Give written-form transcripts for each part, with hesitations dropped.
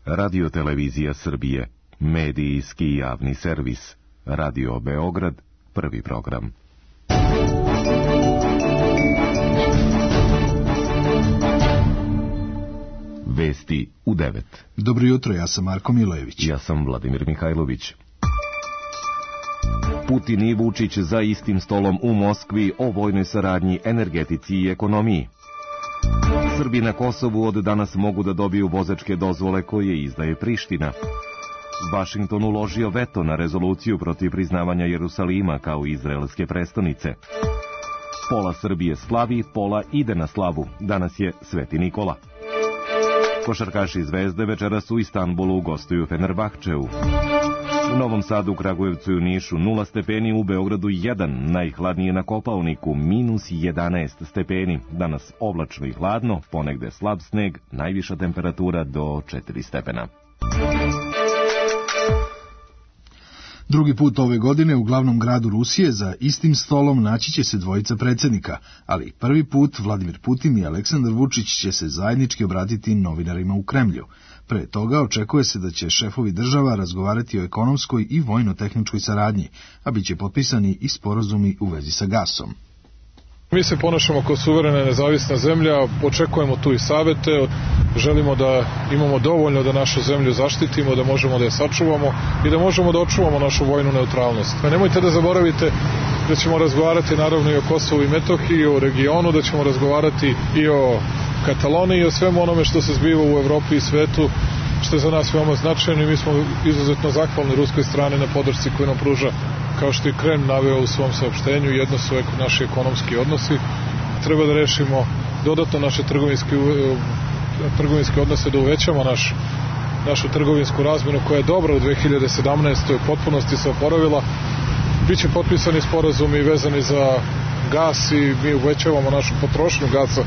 Radio-televizija Srbije, medijski javni servis, Radio Beograd, prvi program. Vesti u 9. Dobro jutro, ja sam Marko Milojević. Ja sam Vladimir Mihajlović. Putin i Vučić za istim stolom u Moskvi o vojnoj saradnji, energetici i ekonomiji. Srbi na Kosovu od danas mogu da dobiju vozačke dozvole koje izdaje Priština. Vašington uložio veto na rezoluciju protiv priznavanja Jerusalima kao izraelske prestonice. Pola Srbije slavi, pola ide na slavu. Danas je Sveti Nikola. Košarkaši Zvezde večeras u Istanbulu gostuju Fenerbahčeu. U Novom Sadu, Kragujevcu i u Nišu 0 stepeni, u Beogradu 1, najhladnije na Kopaoniku -11 stepeni. Danas oblačno i hladno, ponegde slab sneg, najviša temperatura do 4 stepena. Drugi put ove godine u glavnom gradu Rusije za istim stolom naći će se dvojica predsjednika, ali prvi put Vladimir Putin i Aleksandar Vučić će se zajednički obratiti novinarima u Kremlju. Pre toga očekuje se da će šefovi država razgovarati o ekonomskoj i vojno-tehničkoj saradnji, a bit će potpisani i sporazumi u vezi sa gasom. Mi se ponašamo kao suverena nezavisna zemlja, očekujemo tu i savete, želimo da imamo dovoljno da našu zemlju zaštitimo, da možemo da je sačuvamo i da možemo da očuvamo našu vojnu neutralnost. Nemojte da zaboravite da ćemo razgovarati naravno i o Kosovu i Metohiji, i o regionu, da ćemo razgovarati i o Kataloniji i o svemu onome što se zbiva u Evropi i svetu, što je za nas veoma značajno i mi smo izuzetno zahvalni ruskoj strani na podršci koju nam pruža. Kao što je Kreml naveo u svom saopštenju, jedno su naši ekonomski odnosi. Treba da rešimo dodatno naše trgovinske odnose, da uvećamo našu trgovinsku razmenu koja je dobra u 2017. u potpunosti se oporavila. Biće potpisani sporazumi vezani za gas i mi uvećavamo našu potrošnju gasa.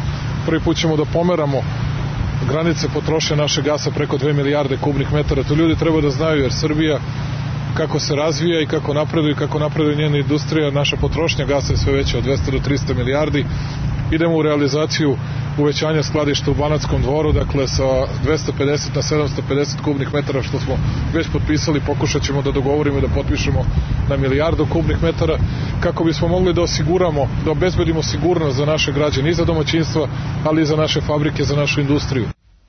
Prvi put ćemo da pomeramo granice potrošnje naše gasa preko 2 milijarde kubnih metara. To ljudi treba da znaju, jer Srbija kako se razvija i kako napreduje njena industrija, naša potrošnja gasa je sve veća od 200 do 300 milijardi. Idemo u realizaciju uvećanja skladišta u Banatskom Dvoru, dakle sa 250 na 750 kubnih metara što smo već potpisali, pokušat ćemo da dogovorimo i da potpišemo na 1 milijardu kubnih metara kako bismo mogli da osiguramo, da obezbedimo sigurnost za naše građane i za domaćinstva, ali i za naše fabrike, za našu industriju.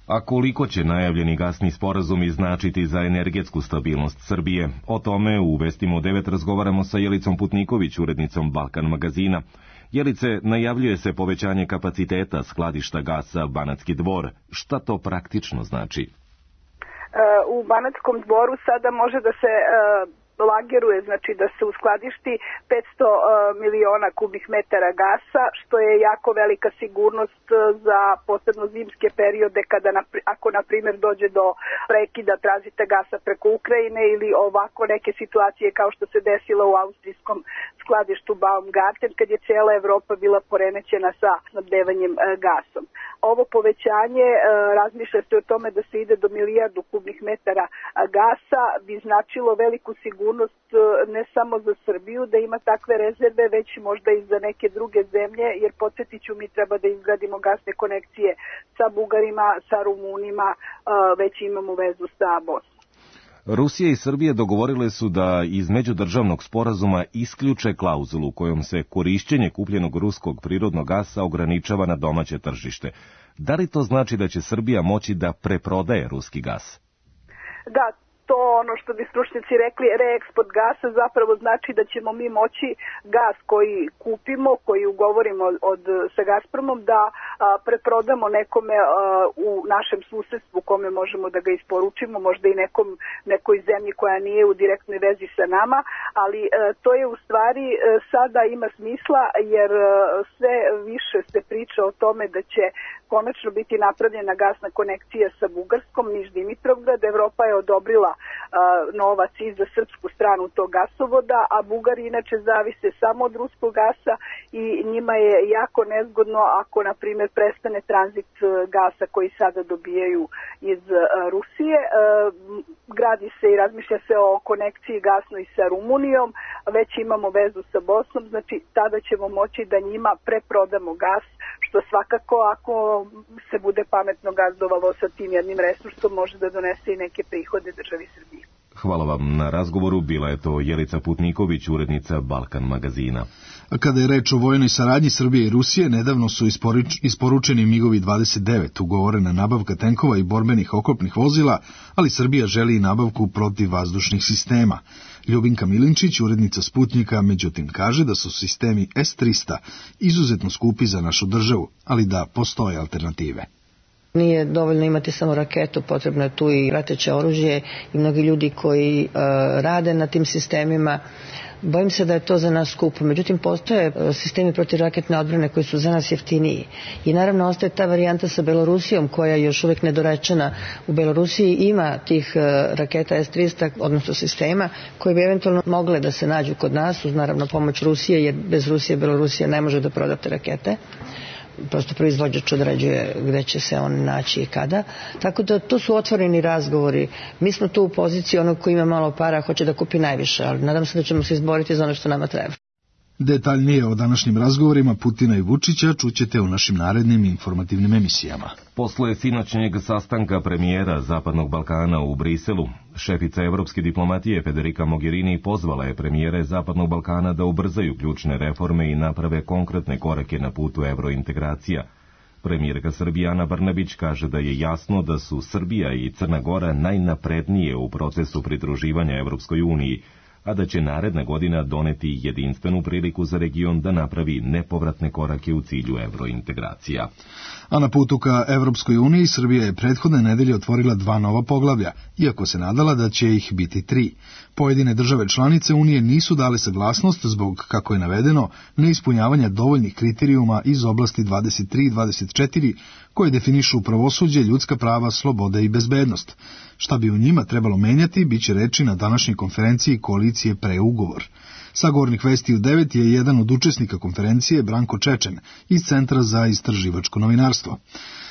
A koliko će najavljeni gasni sporazumi značiti za energetsku stabilnost Srbije? O tome u Vestima u 9 razgovaramo sa Jelicom Putniković, urednicom Balkan magazina. Jelice, najavljuje se povećanje kapaciteta skladišta gasa Banatski Dvor. Šta to praktično znači? U Banatskom Dvoru sada može da se lageruje, znači da se uskladišti 500 miliona kubnih metara gasa, što je jako velika sigurnost za posebno zimske periode kada, ako na primjer dođe do prekida tranzita gasa preko Ukrajine ili ovako neke situacije kao što se desilo u austrijskom skladištu Baumgarten kad je cijela Evropa bila poremećena sa snabdevanjem gasom. Ovo povećanje, razmišlja se o tome da se ide do 1 milijardu kubnih metara gasa, bi značilo veliku sigurnost ne samo za Srbiju da ima takve rezerve, već možda i za neke druge zemlje, jer podsjetit ću, mi treba da izgradimo gasne konekcije sa Bugarima, sa Rumunima, već imamo vezu sa Bosnom. Rusija i Srbija dogovorile su da iz međudržavnog sporazuma isključe klauzulu kojom se korišćenje kupljenog ruskog prirodnog gasa ograničava na domaće tržište. Da li to znači da će Srbija moći da preprodaje ruski gas? Da, to ono što bi stručnjaci rekli reeksport gasa zapravo znači da ćemo mi moći gas koji kupimo, koji ugovorimo sa Gazpromom da preprodamo nekome u našem susedstvu kome možemo da ga isporučimo, možda i nekoj zemlji koja nije u direktnoj vezi sa nama, ali to je u stvari sada ima smisla jer sve više se priča o tome da će konačno biti napravljena gasna konekcija sa Bugarskom, Niš-Dimitrovgrad. Evropa je odobrila novac i za srpsku stranu tog gasovoda, a Bugari inače zavise samo od ruskog gasa i njima je jako nezgodno ako, na primjer, prestane tranzit gasa koji sada dobijaju iz Rusije. radi se i razmišlja se o konekciji gasnoj sa Rumunijom, već imamo vezu sa Bosnom, znači tada ćemo moći da njima preprodamo gas, što svakako ako se bude pametno gazdovalo sa tim jednim resursom može da donese i neke prihode državi Srbiji. Hvala vam na razgovoru, bila je to Jelica Putniković, urednica Balkan magazina. Kada je reč o vojnoj saradnji Srbije i Rusije, nedavno su isporučeni MiG-ovi 29, ugovorena nabavka tenkova i borbenih oklopnih vozila, ali Srbija želi i nabavku protivvazdušnih sistema. Ljubinka Milinčić, urednica Sputnjika, međutim kaže da su sistemi S-300 izuzetno skupi za našu državu, ali da postoje alternative. Nije dovoljno imati samo raketu, potrebno je tu i prateće oružje i mnogi ljudi koji rade na tim sistemima. Bojim se da je to za nas skupo, međutim postoje sistemi protivraketne odbrane koji su za nas jeftiniji. I naravno ostaje ta varijanta sa Belorusijom koja je još uvijek nedorečena. U Belorusiji ima tih raketa S-300, odnosno sistema, koje bi eventualno mogle da se nađu kod nas, uz naravno pomoć Rusije, jer bez Rusije Belorusija ne može da proda te rakete. Prosto proizvođač određuje gde će se on naći i kada. Tako da to su otvoreni razgovori. Mi smo tu u poziciji onog koji ima malo para, hoće da kupi najviše, ali nadam se da ćemo se izboriti za ono što nama treba. Detaljnije o današnjim razgovorima Putina i Vučića čućete u našim narednim informativnim emisijama. Posle sinoćnjeg sastanka premijera Zapadnog Balkana u Briselu, šefica evropske diplomatije Federica Mogherini pozvala je premijere Zapadnog Balkana da ubrzaju ključne reforme i naprave konkretne korake na putu evrointegracija. Premijerka Srbije Ana Brnabić kaže da je jasno da su Srbija i Crna Gora najnaprednije u procesu pridruživanja Evropskoj uniji, a da će naredna godina doneti jedinstvenu priliku za region da napravi nepovratne korake u cilju evrointegracija. A na putu ka Evropskoj uniji Srbija je prethodne nedelje otvorila 2 nova poglavlja, iako se nadala da će ih biti 3. Pojedine države članice Unije nisu dale saglasnost zbog, kako je navedeno, neispunjavanja dovoljnih kriterijuma iz oblasti 23 i 24, koje definišu pravosuđe, ljudska prava, sloboda i bezbednost. Šta bi u njima trebalo menjati, bit će reči na današnjoj konferenciji koalicije Preugovor. Sagovornik Vesti u 9 je jedan od učesnika konferencije, Branko Čečen, iz Centra za istraživačko novinarstvo.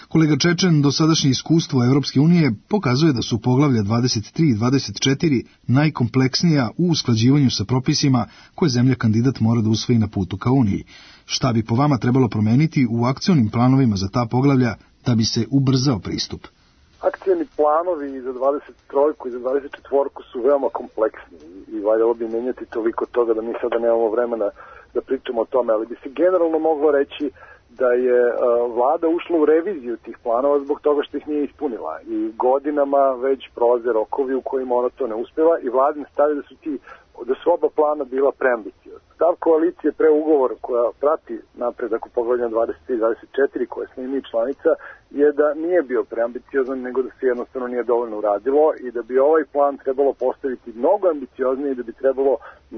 Kolega Čečen, dosadašnje iskustvo Evropske unije pokazuje da su poglavlja 23 i 24 najkompleksnija u usklađivanju sa propisima koje zemlja kandidat mora da usvoji na putu ka Uniji. Šta bi po vama trebalo promeniti u akcionim planovima za ta poglavlja da bi se ubrzao pristup? Akcijni planovi za 23 i za 24 su veoma kompleksni i valjalo bi menjati toliko toga da mi sada nemamo vremena da pričamo o tome, ali bi se generalno moglo reći da je vlada ušla u reviziju tih planova zbog toga što ih nije ispunila i godinama već prolaze rokovi u kojima ona to ne uspeva i vladin stav da su oba plana bila preambiciozna. Stav koalicije Preugovor koja prati napredak u poglavljima 23 i 24 koje smo i mi članica je da nije bio preambiciozan nego da se jednostavno nije dovoljno uradilo i da bi ovaj plan trebalo postaviti mnogo ambicioznije i da bi trebalo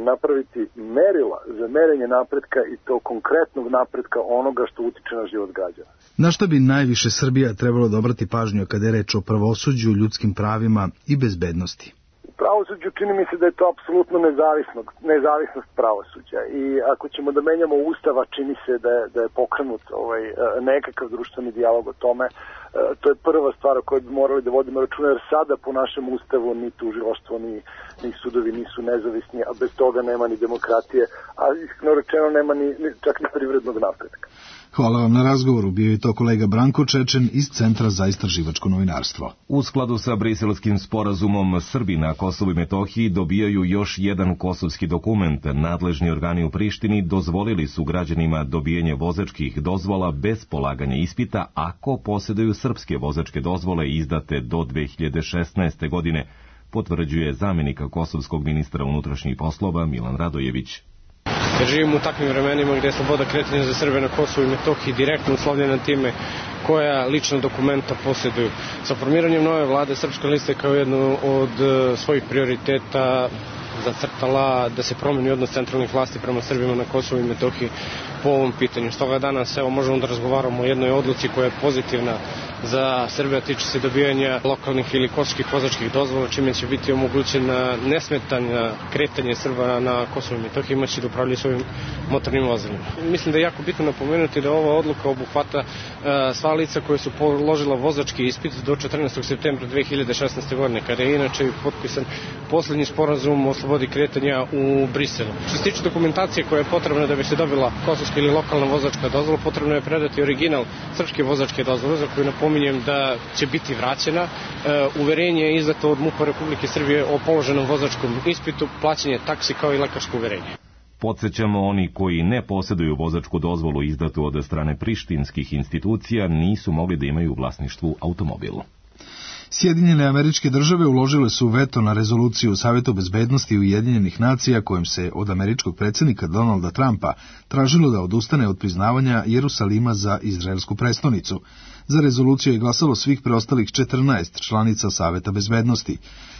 napraviti merila za merenje napretka i to konkretnog napretka onoga što utiče na život građana. Na šta bi najviše Srbija trebalo da obrati pažnju kada je reč o pravosuđu, ljudskim pravima i bezbednosti? Pravosuđu čini mi se da je to apsolutno nezavisnost pravosuđa i ako ćemo da menjamo ustava čini se da je pokrenut nekakav društveni dijalog o tome. To je prva stvar o kojoj bi morali da vodimo računa jer sada po našem ustavu ni tužilaštvo ni sudovi nisu nezavisni, a bez toga nema ni demokratije, a iskreno rečeno nema čak ni privrednog napretka. Hvala vam na razgovoru, bio je to kolega Branko Čečen iz Centra za istraživačko novinarstvo. U skladu sa Briselskim sporazumom, Srbi na Kosovu i Metohiji dobijaju još jedan kosovski dokument. Nadležni organi u Prištini dozvolili su građanima dobijanje vozačkih dozvola bez polaganja ispita ako posjeduju srpske vozačke dozvole izdate do 2016. godine, potvrđuje zamjenik kosovskog ministra unutrašnjih poslova Milan Radojević. Jer živimo u takvim vremenima gdje je sloboda kretanja za Srbe na Kosovu i Metohiji direktno uslovljena time koja lična dokumenta posjeduju. Sa formiranjem nove vlade Srpska lista je kao jedno od svojih prioriteta zacrtala da se promeni odnos centralnih vlasti prema Srbima na Kosovu i Metohiji, po ovom pitanju. Stoga danas možemo da razgovaramo o jednoj odluci koja je pozitivna za Srbiju, tiče se dobijanja lokalnih ili kosovarskih vozačkih dozvola, čime će biti omogućena nesmetana kretanje Srba na Kosovu i Metohiji, imaće da upravljaju svojim motornim vozilima. Mislim da je jako bitno napomenuti da ova odluka obuhvata sva lica koje su položila vozački ispit do 14. septembra 2016. godine, kada je inače potpisan poslednji sporazum o slobodi kretanja u Briselu. Što se tiče dokumentacije koja je potrebna da bi se dobila kosovska ili lokalna vozačka dozvola, potrebno je predati original srpske vozačke dozvole, za koju napominjem da će biti vraćena. Uverenje je izdato od MUP-a Republike Srbije o položenom vozačkom ispitu, plaćanje taksi kao i lekarsko uverenje. Podsećamo, oni koji ne posjeduju vozačku dozvolu izdatu od strane prištinskih institucija nisu mogli da imaju u vlasništvu automobil. Sjedinjene Američke Države uložile su veto na rezoluciju Saveta bezbednosti Ujedinjenih nacija kojom se od američkog predsjednika Donalda Trumpa tražilo da odustane od priznavanja Jerusalima za izraelsku prestonicu. Za rezoluciju je glasalo svih preostalih 14 članica Saveta bezbednosti.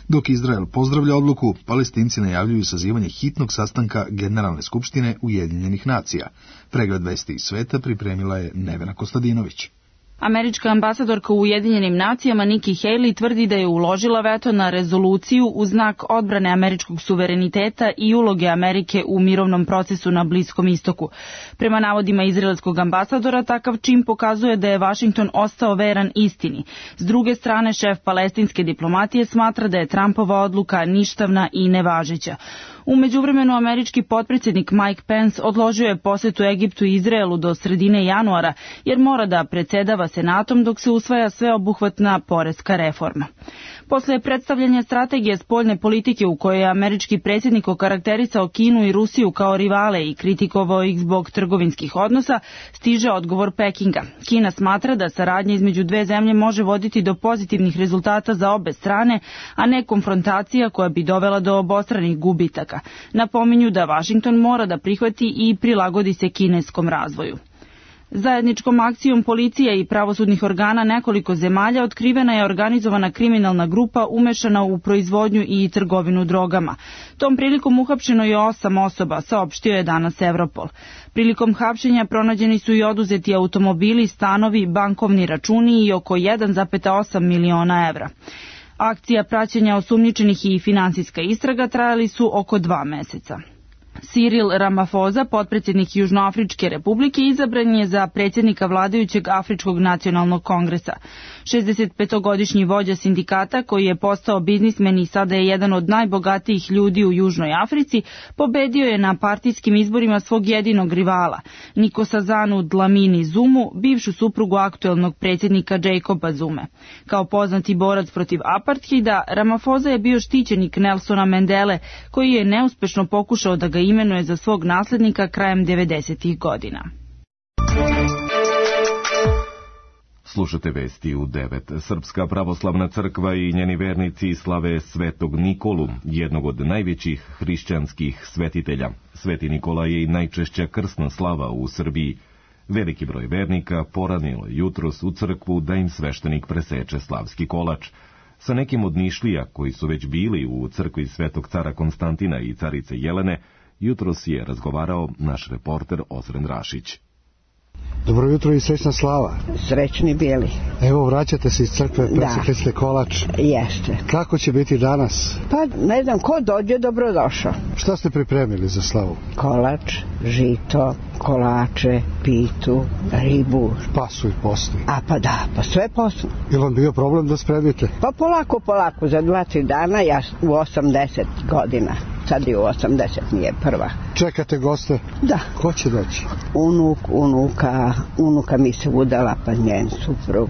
Dok Izrael pozdravlja odluku, Palestinci najavljuju sazivanje hitnog sastanka Generalne skupštine Ujedinjenih nacija. Pregled vesti iz sveta pripremila je Nevena Kostadinović. Američka ambasadorka u Ujedinjenim nacijama Nikki Haley tvrdi da je uložila veto na rezoluciju u znak odbrane američkog suvereniteta i uloge Amerike u mirovnom procesu na Bliskom istoku. Prema navodima izraelskog ambasadora, takav čin pokazuje da je Vašington ostao veran istini. S druge strane, šef palestinske diplomatije smatra da je Trumpova odluka ništavna i nevažeća. U međuvremenu američki potpredsjednik Mike Pence odložio je posetu Egiptu i Izraelu do sredine januara, jer mora da predsedava Senatom dok se usvaja sveobuhvatna poreska reforma. Posle predstavljanja strategije spoljne politike u kojoj je američki predsjednik okarakterisao Kinu i Rusiju kao rivale i kritikovao ih zbog trgovinskih odnosa, stiže odgovor Pekinga. Kina smatra da saradnja između dve zemlje može voditi do pozitivnih rezultata za obe strane, a ne konfrontacija koja bi dovela do obostranih gubitaka. Napominju da Vašington mora da prihvati i prilagodi se kineskom razvoju. Zajedničkom akcijom policije i pravosudnih organa nekoliko zemalja otkrivena je organizovana kriminalna grupa umešana u proizvodnju i trgovinu drogama. Tom prilikom uhapšeno je 8 osoba, saopštio je danas Europol. Prilikom hapšenja pronađeni su i oduzeti automobili, stanovi, bankovni računi i oko 1,8 miliona evra. Akcija praćenja osumnjičenih i finansijska istraga trajali su oko 2 meseca. Cyril Ramaphosa, potpredsjednik Južnoafričke republike, izabran je za predsjednika vladajućeg Afričkog nacionalnog kongresa. 65-godišnji vođa sindikata, koji je postao biznismen i sada je jedan od najbogatijih ljudi u Južnoj Africi, pobedio je na partijskim izborima svog jedinog rivala, Nkosazana Dlamini Zumu, bivšu suprugu aktuelnog predsjednika Jacoba Zume. Kao poznati borac protiv apartheida, Ramaphosa je bio štićenik Nelsona Mandele, koji je neuspešno pokušao da ga imenuje za svog naslednika krajem 90-ih godina. Slušate vesti u 9. Srpska pravoslavna crkva i njeni vernici slave Svetog Nikolu, jednog od najvećih hrišćanskih svetitelja. Sveti Nikola je i najčešća krsna slava u Srbiji. Veliki broj vernika poranilo jutros u crkvu da im sveštenik preseče slavski kolač. Sa nekim od Nišlija koji su već bili u crkvi Svetog cara Konstantina i carice Jelene, jutros je razgovarao naš reporter Ozren Rašić. Dobro jutro i srećna slava. Srećni bili. Evo, vraćate se iz crkve, presekli ste kolač. Jeste. Kako će biti danas? Pa ne znam, ko dođe, dobrodošao. Šta ste pripremili za slavu? Kolač, žito, kolače, pitu, ribu. Pasu i posni. A pa da, pa sve posno. Je li vam bio problem da spremite? Pa polako, za 2-3 dana, ja u 80 godina. Sad je u 80, nije prva. Čekate goste? Da. Ko će doći? Unuka mi se udala, pa njen suprug.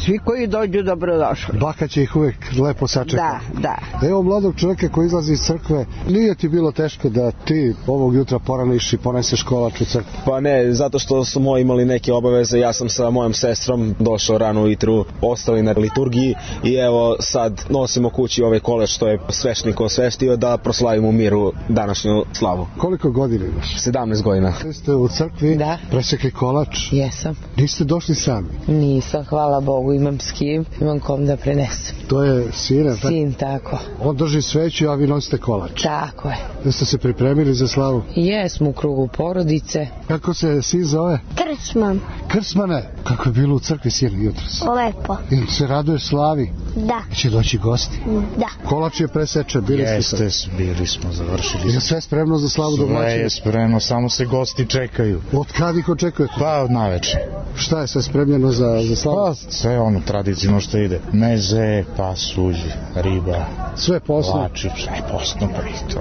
Svi koji dođu dobrodošli. Baka će ih uvijek lepo sačekati. Da. Evo mladog čovjeka koji izlazi iz crkve, nije ti bilo teško da ti ovog jutra poraniš i poneseš kolač u crkvu? Pa ne, zato što smo imali neke obaveze, ja sam sa mojom sestrom došao rano ujutru, ostali na liturgiji i evo sad nosimo kući ovaj kolač što je sveštenik osveštio da proslavimo u miru današnju slavu. Koliko godina imaš? 17 godina. Ste u crkvi? Da. Presekli kolač? Jesam. Niste došli sami? Nisam, hvala Bogu. mogu, imam s kim, imam kom da prenesem. To je sin, Sin, tako. On drži sveću, a vi nosite kolač. Tako je. Jeste se pripremili za slavu? Jesmo u krugu porodice. Kako se sin zove? Krsman. Krsmane, kako je bilo u crkvi sin jutros? Lepo. Ili se raduje slavi? Da. Će doći gosti? Da. Kolač je presečen, bili ste sad? Jeste, bili smo, završili. Je sve spremno za slavu domaćina? Sve je spremno, samo se gosti čekaju. Od kad ih očekujete? Pa od naveče. Šta je sve spremljeno za slavu? Pa sve ono tradicionalno što ide. Meze, pasulj, riba. Sve posno? Lači, sve posno.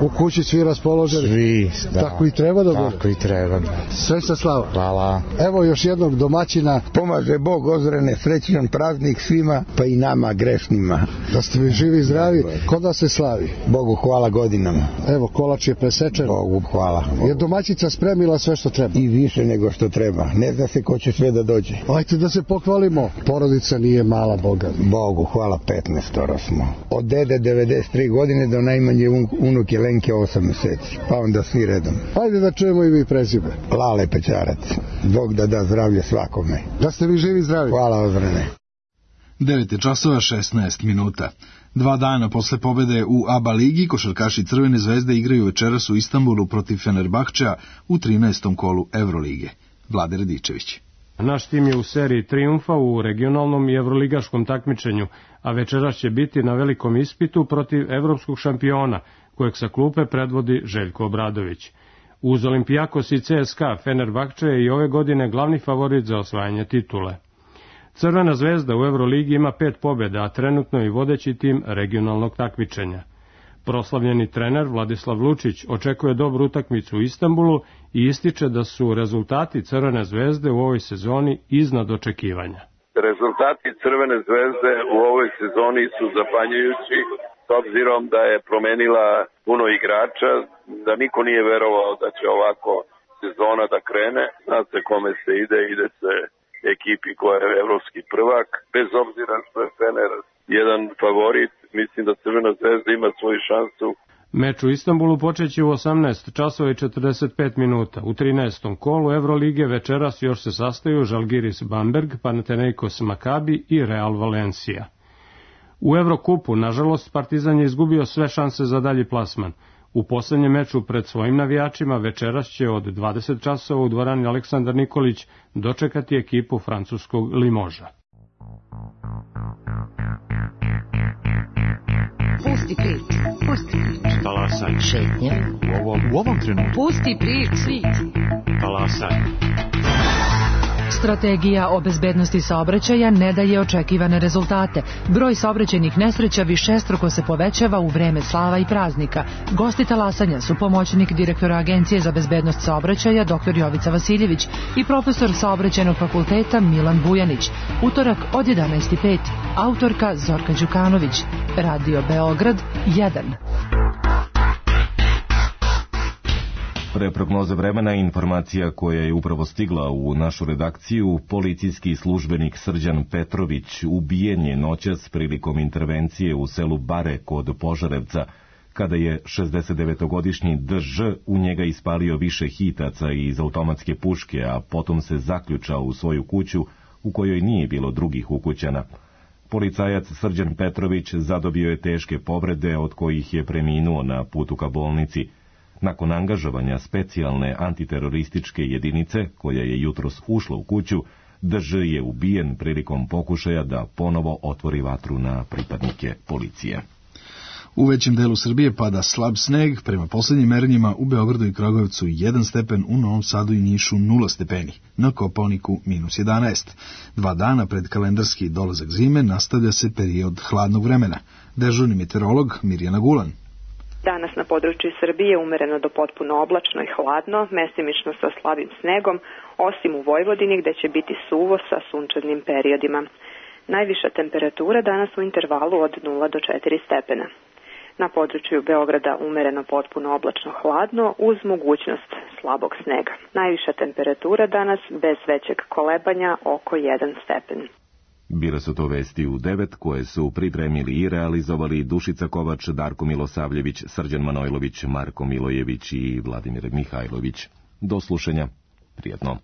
U kući svi raspoloženi? Svi, da. Tako i treba da bude? Tako i treba. Sve sa slava. Hvala. Evo još jednog domaćina. Pomaže Bog ozrene, srećan praznik svima, pa i nama grešnima. Da ste vi živi i zdravi. Kod vas se slavi? Bogu hvala godinama. Evo, kolač je presečen. Bogu hvala. Je domaćica spremila sve što treba? I više nego što treba. Ne zna se ko će sve da dođe. Ajte da se pohvalimo. Porodica nije mala, Boga. Bogu hvala, 15 smo. Od dede 93 godine do najmanje unuke Lenke 8 meseci. Pa onda svi redom. Ajde da čujemo i vi prezime. Lale Pećarac. Bog da zdravlje svakome. Da ste vi živi i zdravi. Hvala ozrene. 9:16. 2 dana posle pobede u ABA ligi, košarkaši Crvene zvezde igraju večeras u Istanbulu protiv Fenerbahčea u 13. kolu Evrolige. Vlade Radičević. Naš tim je u seriji trijumfa u regionalnom i evroligaškom takmičenju, a večeras će biti na velikom ispitu protiv evropskog šampiona, kojeg sa klupe predvodi Željko Obradović. Uz Olimpijakos i CSKA, Fenerbahče je i ove godine glavni favorit za osvajanje titule. Crvena zvezda u Evroligi ima 5 pobjeda, a trenutno je vodeći tim regionalnog takmičenja. Proslavljeni trener Vladislav Lučić očekuje dobru utakmicu u Istanbulu i ističe da su rezultati Crvene zvezde u ovoj sezoni iznad očekivanja. Rezultati Crvene zvezde u ovoj sezoni su zapanjujući, s obzirom da je promenila puno igrača, da niko nije verovao da će ovako sezona da krene. Zna se kome se ide se ekipi koja je evropski prvak. Bez obzira što je Fener jedan favorit, mislim da Crvena zvezda ima svoju šansu. Meč u Istanbulu počeće u 18:45. U 13. kolu Evrolige večeras još se sastaju Žalgiris Bamberg, Panathinaikos Makabi i Real Valencia. U Evrokupu, nažalost, Partizan je izgubio sve šanse za dalji plasman. U poslednjem meču pred svojim navijačima večeras će od 20 časova u dvorani Aleksandar Nikolić dočekati ekipu francuskog Limoža. Pusti priču. Talasaj. Šetnja. U ovom trenutku. Pusti priču. Talasaj. Strategija o bezbednosti saobraćaja ne daje očekivane rezultate. Broj saobraćajnih nesreća višestruko se povećava u vreme slava i praznika. Gosti talasanja su pomoćnik direktora Agencije za bezbednost saobraćaja dr. Jovica Vasiljević i profesor saobraćajnog fakulteta Milan Bujanić. Utorak od 11:05. Autorka Zorka Đukanović. Radio Beograd 1. Pre prognoze vremena informacija koja je upravo stigla u našu redakciju, policijski službenik Srđan Petrović ubijen je noćas prilikom intervencije u selu Bare kod Požarevca, kada je 69-godišnji DŽ u njega ispalio više hitaca iz automatske puške, a potom se zaključao u svoju kuću u kojoj nije bilo drugih ukućana. Policajac Srđan Petrović zadobio je teške povrede od kojih je preminuo na putu ka bolnici. Nakon angažovanja specijalne antiterorističke jedinice, koja je jutros ušla u kuću, DŽ je ubijen prilikom pokušaja da ponovo otvori vatru na pripadnike policije. U većem delu Srbije pada slab sneg, prema poslednjim merenjima u Beogradu i Kragujevcu 1 stepen, u Novom Sadu i Nišu 0 stepeni, na Kopaoniku -11. 2 dana pred kalendarski dolazak zime nastavlja se period hladnog vremena. Dežurni meteorolog Mirjana Gulan. Danas na području Srbije umereno do potpuno oblačno i hladno, mestimično sa slabim snegom, osim u Vojvodini gde će biti suvo sa sunčanim periodima. Najviša temperatura danas u intervalu od 0 do 4 stepena. Na području Beograda umereno potpuno oblačno hladno uz mogućnost slabog snega. Najviša temperatura danas bez većeg kolebanja oko 1 stepen. Bile su to vesti u 9 koje su pripremili i realizovali Dušica Kovač, Darko Milosavljević, Srđan Manojlović, Marko Milojević i Vladimir Mihajlović. Do slušanja. Prijetno.